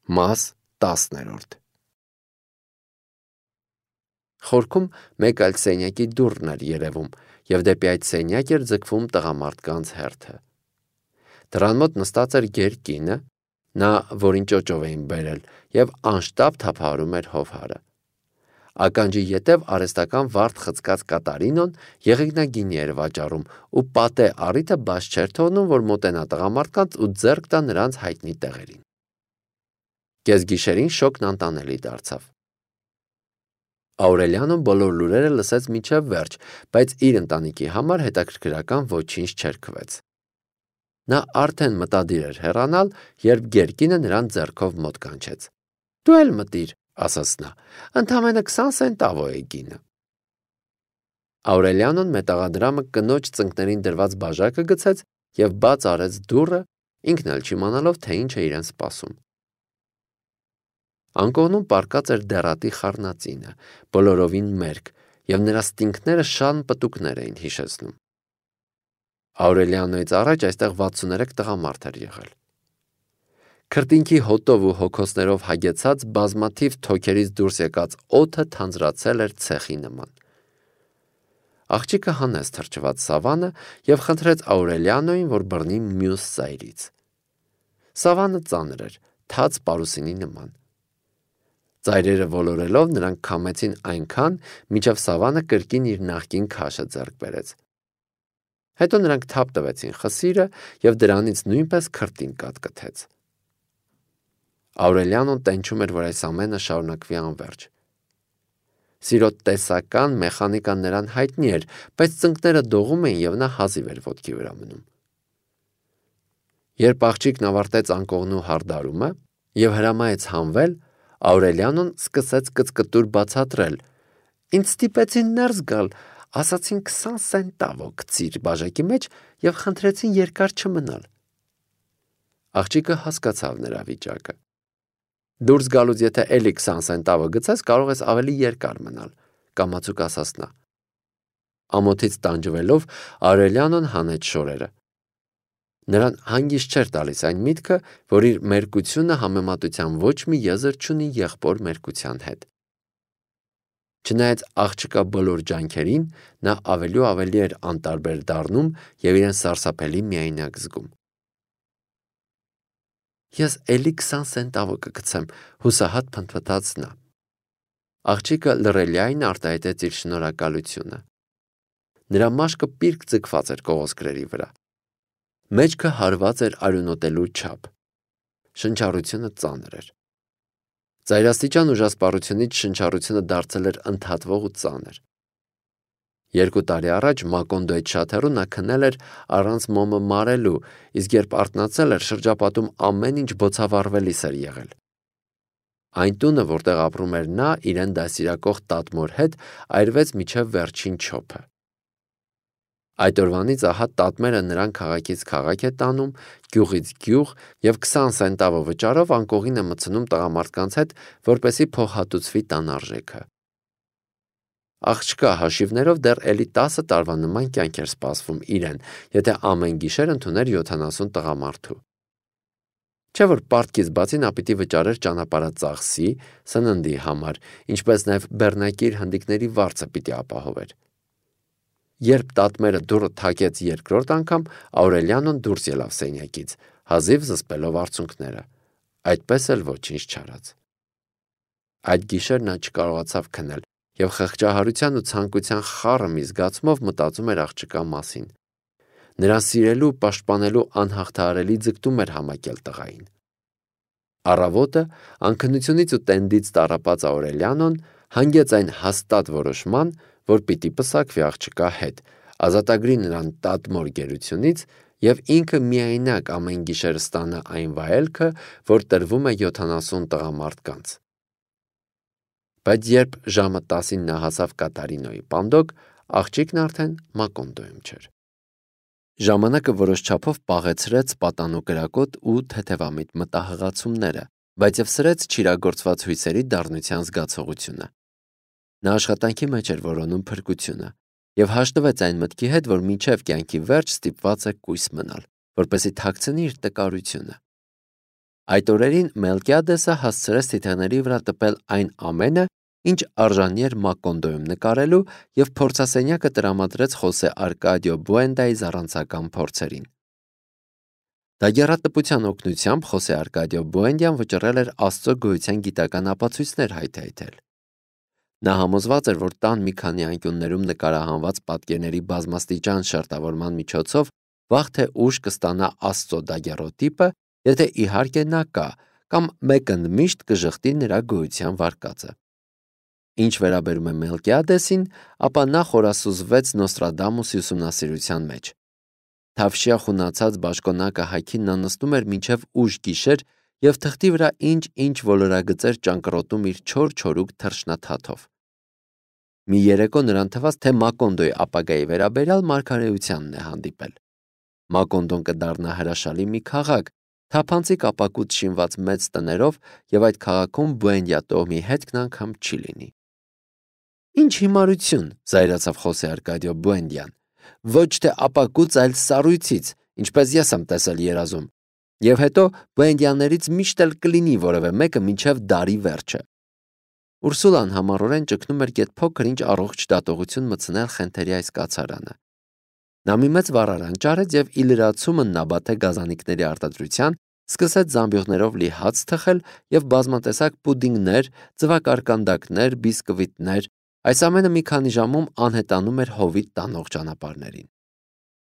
Մաս 10. Խորքում մեկ այլ սենյակի դուռն էր երևում, և դեպի այդ սենյակ էր ձգվում տղամարդկանց հերթը։ Դռան մոտ նստած էր գեր կինը, նա, որին ճոճով էին բերել, և անշտապ թափահարում էր հովհարը։ Ականջի ետև արհեստական վարդ խցկած Կատարինոն եղեգնագինի էր վաճառում ու պատե առիթը բաց չէր թողնում, որ մոտենա տղամարդկանց ու ձեռք տա նրանց հայտնի տեղերին։ Կեսգիշերին շոկն անտանելի դարձավ։ Աուրելիանոն բոլոր լուրերը լսեց մինչև վերջ, բայց իր ընտանիքի համար հետաքրքրական ոչինչ չերքվեց։ Նա արդեն մտադիր էր հեռանալ, երբ գերկինը նրան ձեռքով մոտ կանչեց։ «Դու էլ մտիր», ասաց նա, «ընդամենը 20 սենտավո է գինը»։ Աուրելիանոն մետաղադրամը կնոջ ծնկներին դրված բաժակը գցեց և բաց արեց դուռը, ինքն էլ չիմանալով, թե ինչ է իրեն սպասում։ Անկողնում պառկած էր դեռատի խառնածինը, բոլորովին մերկ, և նրա ստինքները շան պտուկներ էին հիշեցնում։ Աուրելիանոյից առաջ այստեղ 63 տղամարդ էր եղել։ Քրտինքի հոտով ու հոգոսներով հագեցած բազմաթիվ թոքերից դուրս եկած օդը թանձրացել էր ցեխի նման։ Աղջիկը հանեց թրջված Սավանը և խնդրեց Աուրելիանոյին, որ բռնի մյուս ծայրից։ Սավանը ծանր էր, թաց պարուսինի նման։ Ծայրերը ոլորելով նրանք քամեցին այնքան, մինչև Սավանը կրկին իր նախկին քաշը ձեռք բերեց։ Հետո նրանք թափ տվեցին խսիրը և դրանից նույնպես քրտին կատկթեց։ Աուրելիանոն տենչում էր, որ այս ամենը շարունակվի անվերջ։ Սիրո տեսական մեխանիկան նրան հայտնի էր, բայց ծնկները դողում էին, և նա հազիվ էր ոտքի վրա մնում։ Երբ աղջիկն ավարտեց անկողնու հարդարումը և հրամայեց հանվել, Աուրելիանոն սկսեց կծկտուր բացատրել. «Ինձ ստիպեցին ներս գալ, ասացին 20 սենտավո գցիր բաժակի մեջ և խնդրեցին երկար չմնալ»։ Աղջիկը հասկացավ նրա վիճակը։ «Դուրս գալուց եթե էլի 20 սենտավո գցես, կարող ես ավելի երկար մնալ», կամացուկ ասաց նա։ Ամոթից տանջվելով Աուրելիանոն հանեց շորերը։ Նրան հանգիստ չէր տալիս այն միտքը, որ իր մերկությունը համեմատության ոչ մի եզր չունի եղբոր մերկության հետ։ Չնայած աղջկա բոլոր ջանքերին, նա ավելի ու ավելի էր անտարբեր դառնում և իրեն սարսափելի միայնակ զգում։ «Ես էլի 20 սենտավո կգցեմ», հուսահատ փնթփնթաց նա։ Աղջիկը լռելիայն արտահայտեց իր շնորհակալությունը։ Նրա մաշկը պիրկ ձգված էր կողոսկրերի վրա։ Մեջքը հարված էր արյունոտելու չափ։ Շնչառությունը ծանր էր։ Ծայրաստիճան ուժասպառությունից շնչառությունը դարձել էր ընդհատվող ու ծանր։ 2 տարի առաջ Մակոնդոյից շատ հեռու նա քնել էր առանց մոմը մարելու, իսկ երբ արթնացել էր, շրջապատում ամեն ինչ բոցավառվելիս էր եղել։ Այն տունը, որտեղ ապրում էր նա իրեն դաստիարակող տատմոր հետ, այրվեց մինչև վերջին չոփը։ Այդ օրվանից ահա տատմերը նրան քաղաքից քաղաք է տանում, գյուղից գյուղ և 20 սենտավո վճարով անկողին է մտցնում տղամարդկանց հետ, որպեսզի փոխհատուցվի տան արժեքը։ Աղջկա հաշիվներով դեռ էլի 10 տարվա նման կյանք էր սպասվում իրեն, եթե ամեն գիշեր ընդուներ 70 տղամարդու։ Չէ՞ որ պարտքից բացի նա պիտի վճարեր ճանապարհածախսի, սննդի համար, ինչպես նաև բեռնակիր հնդիկների վարձը պիտի ապահովեր։ Երբ տատմերը դուռը թակեց երկրորդ անգամ, Աուրելիանոն դուրս ելավ սենյակից, հազիվ զսպելով արցունքները։ Այդպես էլ ոչինչ չարած։ Այդ գիշեր նա չկարողացավ քնել և խղճահարության ու ցանկության խառը մի զգացմով մտածում էր աղջկա մասին։ Նրան սիրելու, պաշտպանելու անհաղթահարելի ձգտում էր համակել տղային։ Առավոտը անքնությունից ու տենդից տառապած Աուրելիանոն հանգեց այն հաստատ որոշման, որ պիտի պսակվի աղջկա հետ, ազատագրի նրան տատմոր գերությունից և ինքը միայնակ ամեն գիշեր ստանա այն վայելքը, որ տրվում է 70 տղամարդկանց։ Բայց երբ ժամը 10-ին նա հասավ Կատարինոյի պանդոկ, աղջիկն արդեն Մակոնդոյում չէր։ Ժամանակը որոշ չափով պաղեցրեց պատանու կրակոտ ու թեթևամիտ մտահղացումները, բայց և սրեց չիրագործված հույսերի դառնության զգացողությունը։ Նա աշխատանքի մեջ էր որոնում փրկությունը և հաշտվեց այն մտքի հետ, որ մինչև կյանքի վերջ ստիպված է կույս մնալ, որպեսզի թաքցնի իր տկարությունը։ Այդ օրերին Մելկիադեսը հասցրեց թիթեղների վրա տպել այն ամենը, ինչ արժանի էր Մակոնդոյում նկարելու և փորձասենյակը տրամադրեց Խոսե Արկադիո Բուենդայի զառանցական փորձերին։ Դագեռատպության օգնությամբ Խոսե Արկադիո Բուենդյան վճռել էր Աստծո գոյության գիտական ապացույցներ հայթայթել։ Նա համոզված էր, որ տան մի քանի անկյուններում նկարահանված պատկերների բազմաստիճան շերտավորման միջոցով վաղ թե ուշ կստանա Աստծո դագեռոտիպը, եթե իհարկե նա կա, կամ մեկը միշտ կժխտի նրա գոյության վարկածը։ Ինչ վերաբերում է Մելկիադեսին, ապա նա խորասուզվեց Նոստրադամուսի ուսումնասիրության մեջ։ Թավշյա խունացած բաշխոնակը հայքին նա նստում էր մինչև ուշ գիշեր և թղթի վրա ինչ ոլորագծեր ճանկռոտում իր չոր-չորուկ թռչնաթաթով։ Մի երեկո նրան թվաց, թե Մակոնդոյի ապագայի վերաբերյալ մարգարեությանն է հանդիպել։ Մակոնդոն կդառնա հրաշալի մի քաղաք, թափանցիկ ապակուց շինված մեծ տներով, և այդ քաղաքում Բուենդիա տոհմի հետքն անգամ չի լինի։ Ինչ հիմարություն, զայրացավ Խոսե Արկադիո Բուենդյան, ոչ թե ապակուց, այլ սառույցից, ինչպես ես եմ տեսել երազում, և հետո Բուենդյաներից միշտ էլ կլինի որևէ մեկը մինչև դարի վերջը։ Ուրսուլան համառորեն ճգնում էր գեթ փոքր-ինչ առողջ դատողություն մտցնել Խենթերի այս կացարանը։ Նա մի մեծ վառարան ճարեց և ի լրացումը Նաբաթե գազանիկների արտադրության սկսեց զամբյուղներով լի հաց թխել և բազմատեսակ պուդինգներ, ձվակարկանդակներ, բիսկվիտներ, այս ամենը մի քանի ժամում անհետանում էր հովիտ տանող ճանապարհներին։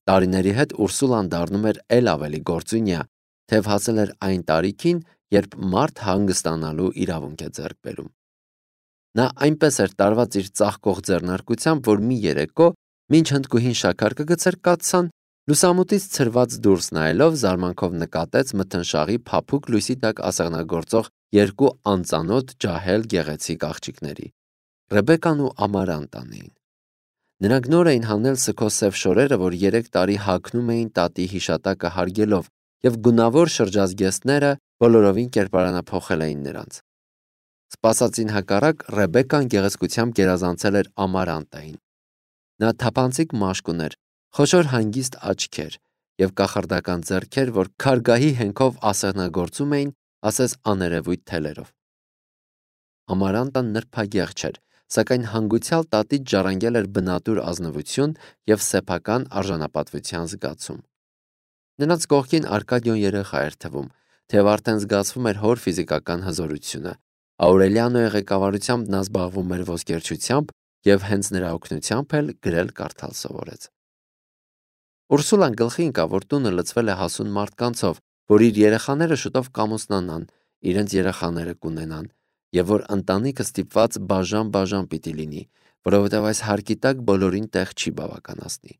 Տարիների հետ Ուրսուլան դառնում էր էլ ավելի գործունյա, թեև հասել էր այն տարիքին, երբ մարդ հանգստանալու իրավունք է ձեռք բերում։ Նա այնպես էր տարված իր ծաղկող ձեռնարկությամբ, որ մի երեկո, մինչ հնդկուհին շաքար կգցեր կաթսան, լուսամուտից ցրված դուրս նայելով զարմանքով նկատեց մթնշաղի փափուկ լույսի տակ ասեղնագործող երկու անծանոթ ջահել գեղեցիկ աղջիկների՝ Ռեբեկան ու Ամարանտան էին։ Նրանք նոր էին հանել սքոսև շորերը, որ 3 տարի հագնում էին տատի հիշատակը հարգելով, և գունավոր շրջազգեստները բոլորովին կերպարանափոխել էին նրանց։ Սպասածին հակառակ Ռեբեկան գեղեցկությամբ գերազանցել էր Ամարանտային։ Նա թափանցիկ մաշկ ուներ, խոշոր հանգիստ աչքեր և կախարդական ձեռքեր, որ քարգահի հենքով ասեղնագործում էին, ասես աներևույթ թելերով։ Ամարանտան նրբագեղ չէր, սակայն հանգուցյալ տատից ժառանգել էր բնատուր ազնվություն և սեփական արժանապատվության զգացում։ Նրանց կողքին Արկադիոն երեխա էր թվում, թեև արդեն զգացվում էր հոր ֆիզիկական հզորությունը։ Աուրելիանոյի ղեկավարությամբ նա զբաղվում էր ոսկերչությամբ և հենց նրա օգնությամբ էլ գրել-կարդալ սովորեց։ Ուրսուլան գլխի ընկավ, որ տունը լցվել է հասուն մարդկանցով, որ իր երեխաները շուտով կամուսնանան, իրենց երեխաները կունենան, և որ ընտանիքը ստիպված բաժան-բաժան պիտի լինի, որովհետև այս հարկի տակ բոլորին տեղ չի բավականացնի։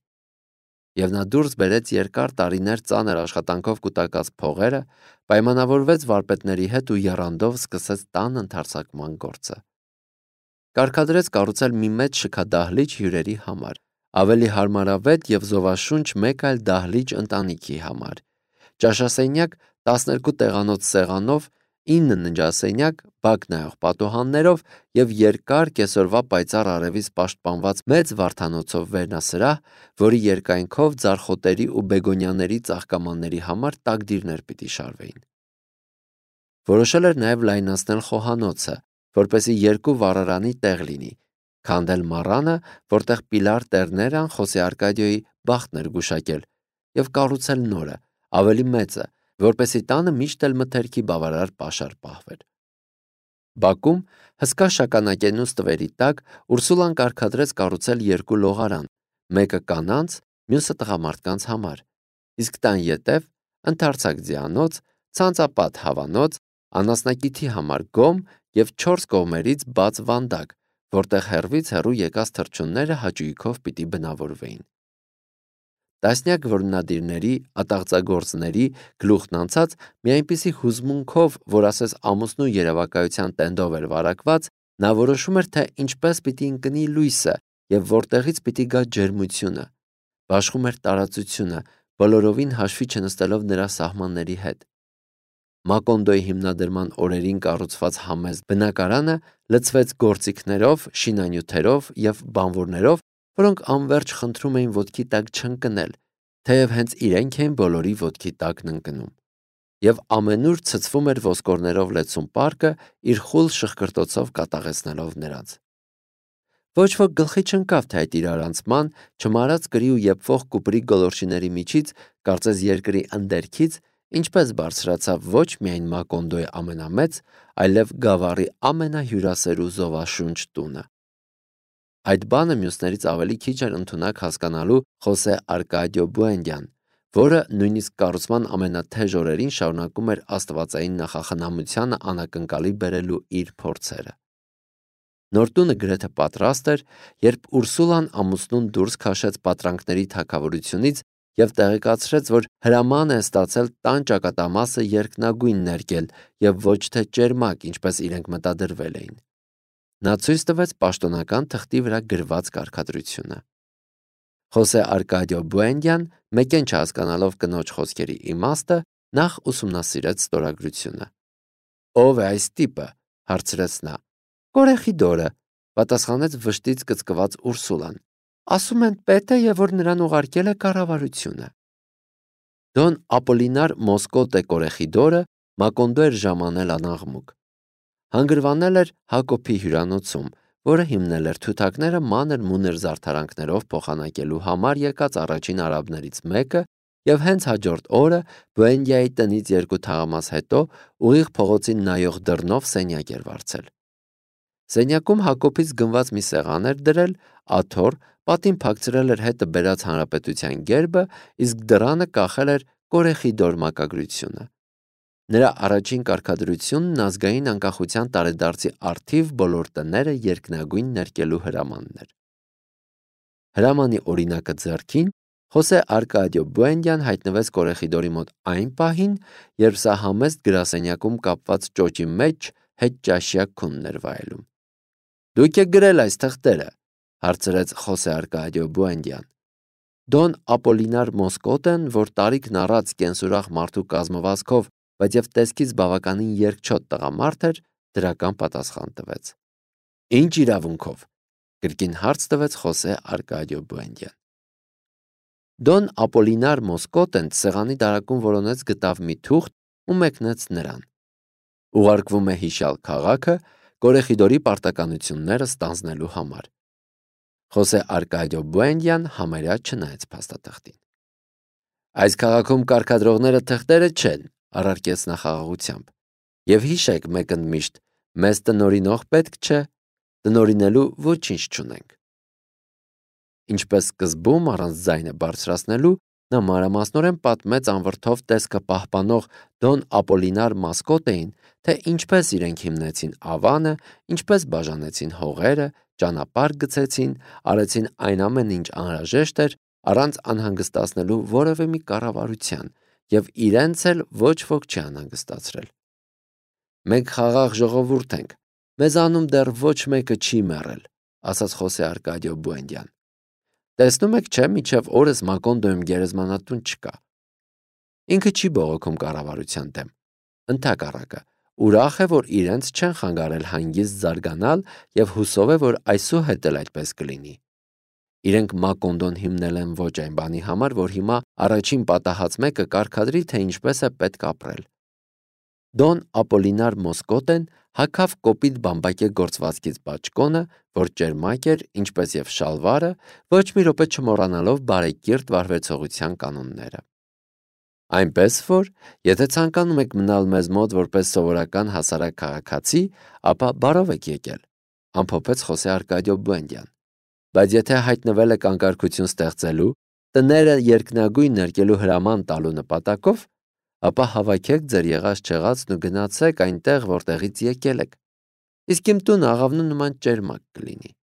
Եվ նա դուրս բերեց երկար տարիներ ծանր աշխատանքով կուտակած փողերը, պայմանավորվեց վարպետների հետ ու եռանդով սկսեց տան ընդարձակման գործը։ Կարգադրեց կառուցել մի մեծ շքադահլիճ հյուրերի համար, ավելի հարմարավետ և զովաշունչ մեկ այլ դահլիճ ընտանիքի համար, ճաշասենյակ 12 տեղանոց սեղանով, 9 ննջասենյակ, բակ նայող պատուհաններով և երկար կեսօրվա պայծառ արևից պաշտպանված մեծ վարդանոցով վերնասրահ, որի երկայնքով ձարխոտերի ու բեգոնիաների ծաղկամանների համար տակդիրներ պիտի շարվեին։ Որոշել էր նաև լայնացնել խոհանոցը, որպեսզի 2 վառարանի տեղ լինի, քանդել մառանը, որտեղ Պիլար Տերներան Խոսե Արկադիոյի բախտն էր գուշակել, և կառուցել նորը, ավելի մեծը, որպեսզի տանը միշտ էլ մթերքի բավարար պաշար պահվեր։ Բաքում հսկա շագանակենուց տվերի տակ Ուրսուլան կարգադրեց կառուցել 2 լողարան, մեկը կանանց, մյուսը տղամարդկանց համար, իսկ տան ետև ընդարձակ ձիանոց, ցանցապատ հավանոց, անասնակիթի համար գոմ և 4 կողմերից բաց վանդակ, որտեղ հեռվից հեռու եկած թռչունները հաճույքով պիտի բնավորվեին։ Տասնյակ որմնադիրների, ատաղձագործների գլուխն անցած մի այնպիսի հուզմունքով, որ ասես ամուսնու երևակայության տենդով էր վարակված, նա որոշում էր, թե ինչպես պիտի ընկնի լույսը և որտեղից պիտի գա ջերմությունը, բաշխում էր տարածությունը, բոլորովին հաշվի չնստելով նրա սահմանների հետ։ Մակոնդոյի հիմնադրման օրերին կառուցված համեստ բնակարանը լցվեց գործիքներով, շինանյութերով և բանվորներով, որոնք անվերջ խնդրում էին ոտքի տակ չընկնել, թեև հենց իրենք էին բոլորի ոտքի տակն ընկնում։ եւ ամենուր ցցվում էր ոսկորներով լեցուն պարկը, իր խուլ շղկրտոցով կատաղեցնելով նրանց։ Ոչ ոք գլխի չընկավ, թե այդ իրարանցման, չմարած կրի ու եփվող կուպրի գոլորշիների միջից, կարծես երկրի ընդերքից, ինչպես բարձրացավ ոչ միայն Մակոնդոյի ամենամեծ, այլև Գավառի ամենահյուրասեր ու զովաշունչ տունը։ Այդ բանը մյուսներից ավելի քիչ էր ընդունակ հասկանալու Խոսե Արկադիո Բուենդյան, որը նույնիսկ կառուցման ամենաթեժ օրերին շարունակում էր աստվածային նախախնամությանը անակնկալի բերելու իր փորձերը։ Նոր տունը գրեթե պատրաստ էր, երբ Ուրսուլան ամուսնուն դուրս քաշեց պատրանքների թագավորությունից եւ տեղեկացրեց, որ հրաման է ստացել տան ճակատամասը երկնագույն ներկել եւ ոչ թե ճերմակ, ինչպես իրենք մտադրվել էին։ Նա ցույց տվեց պաշտոնական թղթի վրա գրված կարգադրությունը։ Խոսե Արկադիո Բուենդյան, մեկեն չհասկանալով կնոջ խոսքերի իմաստը, նախ ուսումնասիրեց ստորագրությունը։ «Ո՞վ է այս տիպը», հարցրեց նա։ «Կորեխիդորը», պատասխանեց վշտից կծկված Ուրսուլան։ «Ասում են պետ է եւ որ նրան ուղարկել է կառավարությունը»։ Դոն Ապոլինար Մոսկոտե Կորեխիդորը Մակոնդո էր ժամանել անաղմուկ։ Հանգրվանել էր Հակոբի հյուրանոցում, որը հիմնել էր թութակները մանր-մունր զարդարանքներով փոխանակելու համար եկած առաջին արաբներից մեկը եւ հենց հաջորդ օրը Բուենդիայի տնից 2 թաղամաս հետո ուղիղ փողոցին նայող դռնով սենյակ էր վարձել։ Սենյակում Հակոբից գնված մի սեղան էր դրել, աթոռ, պատին փակցրել էր հետը բերած հանրապետության գերբը, իսկ դռանը կախել էր Կորեխիդոր մակագրությունը։ Նրա առաջին կարգադրությունն ազգային անկախության տարեդարձի առթիվ բոլոր տները երկնագույն ներկելու հրամանն էր։ Հրամանի օրինակը ձեռքին, Խոսե Արկադիո Բուենդյան հայտնվեց Կորեխիդորի մոտ այն պահին, երբ սա համեստ գրասենյակում կապված ճոճի մեջ հետ ճաշյա քունն էր վայելում։ «Դուք եք գրել այս թղթերը», հարցրեց Խոսե Արկադիո Բուենդյան։ Դոն Ապոլինար Մոսկոտեն, որ տարիքն առած կենսուրախ մարդու կազմվածքով, բայց եւ տեսքից բավականին երկչոտ տղամարդ էր, դրական պատասխան տվեց։ «Ինչ իրավունքով», կրկին հարց տվեց Խոսե Արկադիո Բուենդյան։ Դոն Ապոլինար Մոսկոտեն սեղանի դարակում որոնեց գտավ մի թուղթ ու մեկնեց նրան։ Ուղարկվում է հիշյալ քաղաքը Կորեխիդորի պարտականությունները ստանձնելու համար։ Խոսե Արկադիո Բուենդյան համարյա չնայեց փաստաթղթին։ «Այս քաղաքում կարգադրողները թղթերը չեն», առարկեց նա խաղաղությամբ։ «Եվ հիշեք մեկ ընդմիշտ, մեզ տնօրինող պետք չէ, տնօրինելու ոչինչ չունենք»։ Ինչպես սկզբում առանց ձայնը բարձրացնելու, նա մանրամասնորեն պատմեց անվրդով տեսքը պահպանող Դոն Ապոլինար Մոսկոտեին, թե ինչպես իրենք հիմնեցին Ավանը, ինչպես բաժանեցին հողերը, ճանապարհ գծեցին, արեցին այն ամենը, ինչ անհրաժեշտ էր, առանց անհանգստացնելու որևէ մի կառավարության, եւ իրենց էլ ոչ ոք չի անհանգստացրել։ «Մենք խաղաղ ժողովուրդ ենք, մեզանում դեռ ոչ մեկը չի մեռել», ասաց Խոսե Արկադիո Բուենդյան։ «Տեսնում եք, չէ, մինչև օրս Մակոնդոյում գերեզմանատուն չկա։ Ինքը չի բողոքում կառավարության դեմ, ընդհակառակը, ուրախ է, որ իրենց չեն խանգարել հանգիստ զարգանալ եւ հուսով է, որ այսուհետ էլ այդպես կլինի։ Իրենք Մակոնդոն հիմնել են ոչ այն բանի համար, որ հիմա առաջին պատահած մեկը կարգադրի, թե ինչպես է պետք ապրել»։ Դոն Ապոլինար Մոսկոտեն հագավ կոպիտ բամբակե գործվածքից բաճկոնը, որ ճերմակ էր, ինչպես եւ շալվարը, ոչ մի րոպե չմոռանալով բարեկիրթ վարվեցողության կանոնները։ «Այնպես որ, եթե ցանկանում եք մնալ մեզ մոտ որպես սովորական հասարակ քաղաքացի, ապա բարով եք եկել», ամփոփեց Խոսե Արկադիո Բուենդյան։ «Բայց եթե հայտնվել եք անկարգություն ստեղծելու, տները երկնագույն ներկելու հրաման տալու նպատակով, ապա հավաքեք ձեր եղած-չեղածն ու գնացեք այնտեղ, որտեղից եկել եք։ Իսկ իմ տունը աղավնու նման ճերմակ կլինի»։